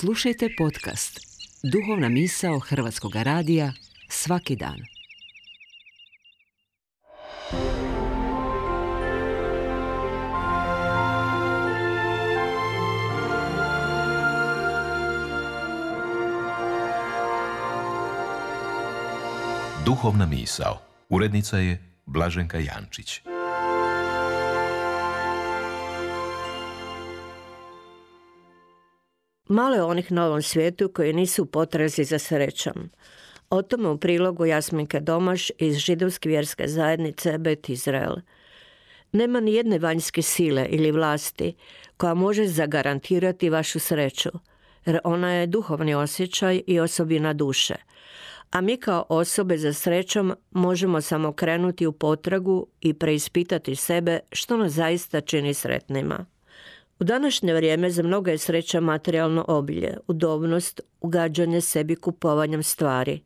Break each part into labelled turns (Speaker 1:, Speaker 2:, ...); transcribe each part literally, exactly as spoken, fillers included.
Speaker 1: Slušajte podcast Duhovna misao Hrvatskog radija svaki dan.
Speaker 2: Duhovna misao. Urednica je Blaženka Jančić.
Speaker 3: Malo je onih na ovom svijetu koji nisu u potrazi za srećom. O tome u prilogu Jasminke Domaš iz židovske vjerske zajednice Bet Izrael. Nema ni jedne vanjske sile ili vlasti koja može zagarantirati vašu sreću, jer ona je duhovni osjećaj i osobina duše. A mi kao osobe za srećom možemo samo krenuti u potragu i preispitati sebe što nas zaista čini sretnima. U današnje vrijeme za mnoga je sreća materijalno obilje, udobnost, ugađanje sebi kupovanjem stvari.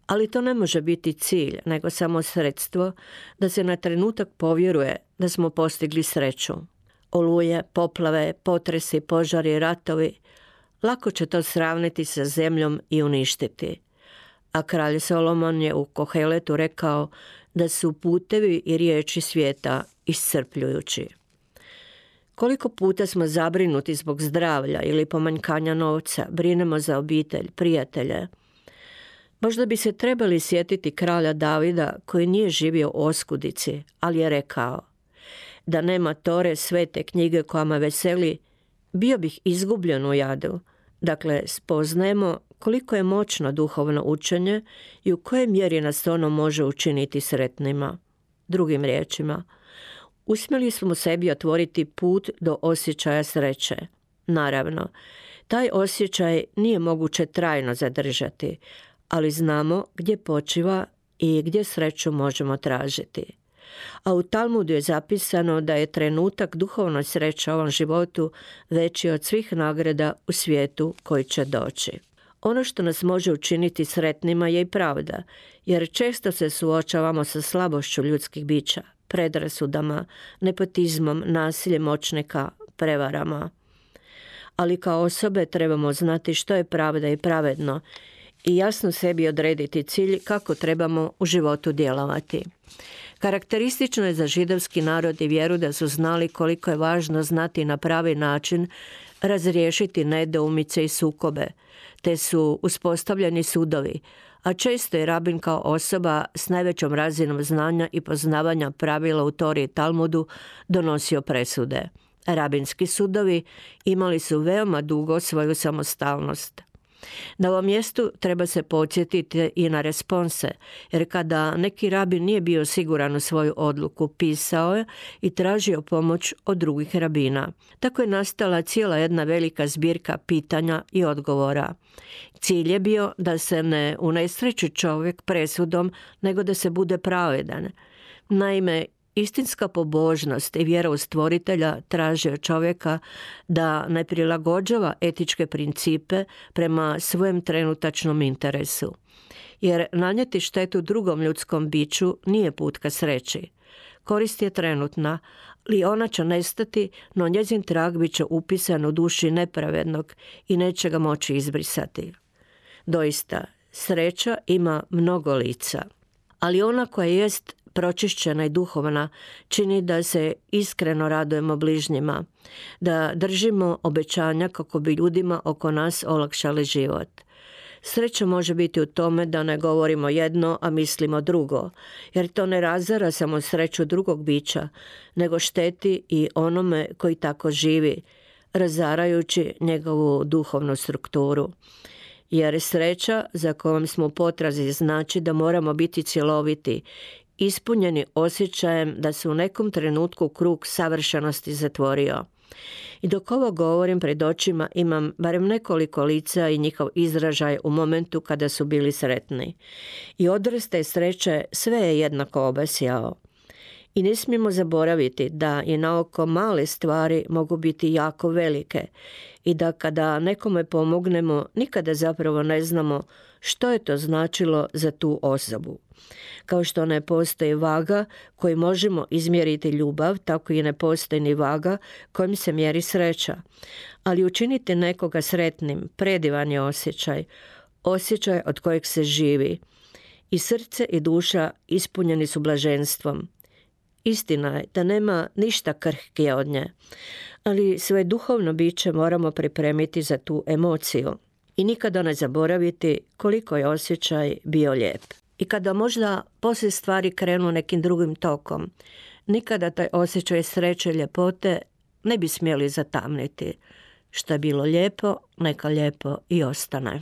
Speaker 3: Ali to ne može biti cilj, nego samo sredstvo da se na trenutak povjeruje da smo postigli sreću. Oluje, poplave, potresi, požari, ratovi, lako će to sravniti sa zemljom i uništiti. A kralj Solomon je u Koheletu rekao da su putevi i riječi svijeta iscrpljujući. Koliko puta smo zabrinuti zbog zdravlja ili pomanjkanja novca, brinemo za obitelj, prijatelje. Možda bi se trebali sjetiti kralja Davida koji nije živio u oskudici, ali je rekao: da nema Tore, svete knjige koja me veseli, bio bih izgubljen u jadu. Dakle, spoznajemo koliko je moćno duhovno učenje i u kojoj mjeri nas ono može učiniti sretnima. Drugim riječima, uspjeli smo sebi otvoriti put do osjećaja sreće. Naravno, taj osjećaj nije moguće trajno zadržati, ali znamo gdje počiva i gdje sreću možemo tražiti. A u Talmudu je zapisano da je trenutak duhovne sreće u ovom životu veći od svih nagrada u svijetu koji će doći. Ono što nas može učiniti sretnima je i pravda, jer često se suočavamo sa slabošću ljudskih bića, predrasudama, nepotizmom, nasiljem moćnika, prevarama. Ali kao osobe trebamo znati što je pravda i pravedno i jasno sebi odrediti cilj kako trebamo u životu djelovati. Karakteristično je za židovski narod i vjeru da su znali koliko je važno znati na pravi način razriješiti nedoumice i sukobe, te su uspostavljeni sudovi, a često je rabin kao osoba s najvećom razinom znanja i poznavanja pravila u Tori i Talmudu donosio presude. Rabinski sudovi imali su veoma dugo svoju samostalnost. Na ovom mjestu treba se podsjetiti i na response, jer kada neki rabin nije bio siguran u svoju odluku, pisao je i tražio pomoć od drugih rabina. Tako je nastala cijela jedna velika zbirka pitanja i odgovora. Cilj je bio da se ne unesreći čovjek presudom, nego da se bude pravedan. Naime, istinska pobožnost i vjera u stvoritelja traži od čovjeka da ne prilagođava etičke principe prema svojem trenutačnom interesu. Jer nanijeti štetu drugom ljudskom biću nije put ka sreći. Korist je trenutna, ali ona će nestati, no njezin trag bit će upisan u duši nepravednog i neće ga moći izbrisati. Doista, sreća ima mnogo lica, ali ona koja jest pročišćena i duhovna čini da se iskreno radujemo bližnjima, da držimo obećanja kako bi ljudima oko nas olakšali život. Sreća može biti u tome da ne govorimo jedno, a mislimo drugo, jer to ne razara samo sreću drugog bića, nego šteti i onome koji tako živi, razarajući njegovu duhovnu strukturu. Jer sreća za kojom smo u potrazi znači da moramo biti cjeloviti, ispunjeni osjećajem da se u nekom trenutku krug savršenosti zatvorio. I dok ovo govorim, pred očima imam barem nekoliko lica i njihov izražaj u momentu kada su bili sretni. I odraz te sreće sve je jednako obasjao. I ne smijemo zaboraviti da i na oko male stvari mogu biti jako velike i da kada nekome pomognemo nikada zapravo ne znamo što je to značilo za tu osobu. Kao što ne postoji vaga koju možemo izmjeriti ljubav, tako i ne postoji ni vaga kojim se mjeri sreća. Ali učiniti nekoga sretnim predivan je osjećaj, osjećaj od kojeg se živi. I srce i duša ispunjeni su blaženstvom. Istina je da nema ništa krhkije od nje, ali svoje duhovno biće moramo pripremiti za tu emociju i nikada ne zaboraviti koliko je osjećaj bio lijep. I kada možda poslije stvari krenu nekim drugim tokom, nikada taj osjećaj sreće i ljepote ne bi smjeli zatamniti. Što je bilo lijepo, neka lijepo i ostane.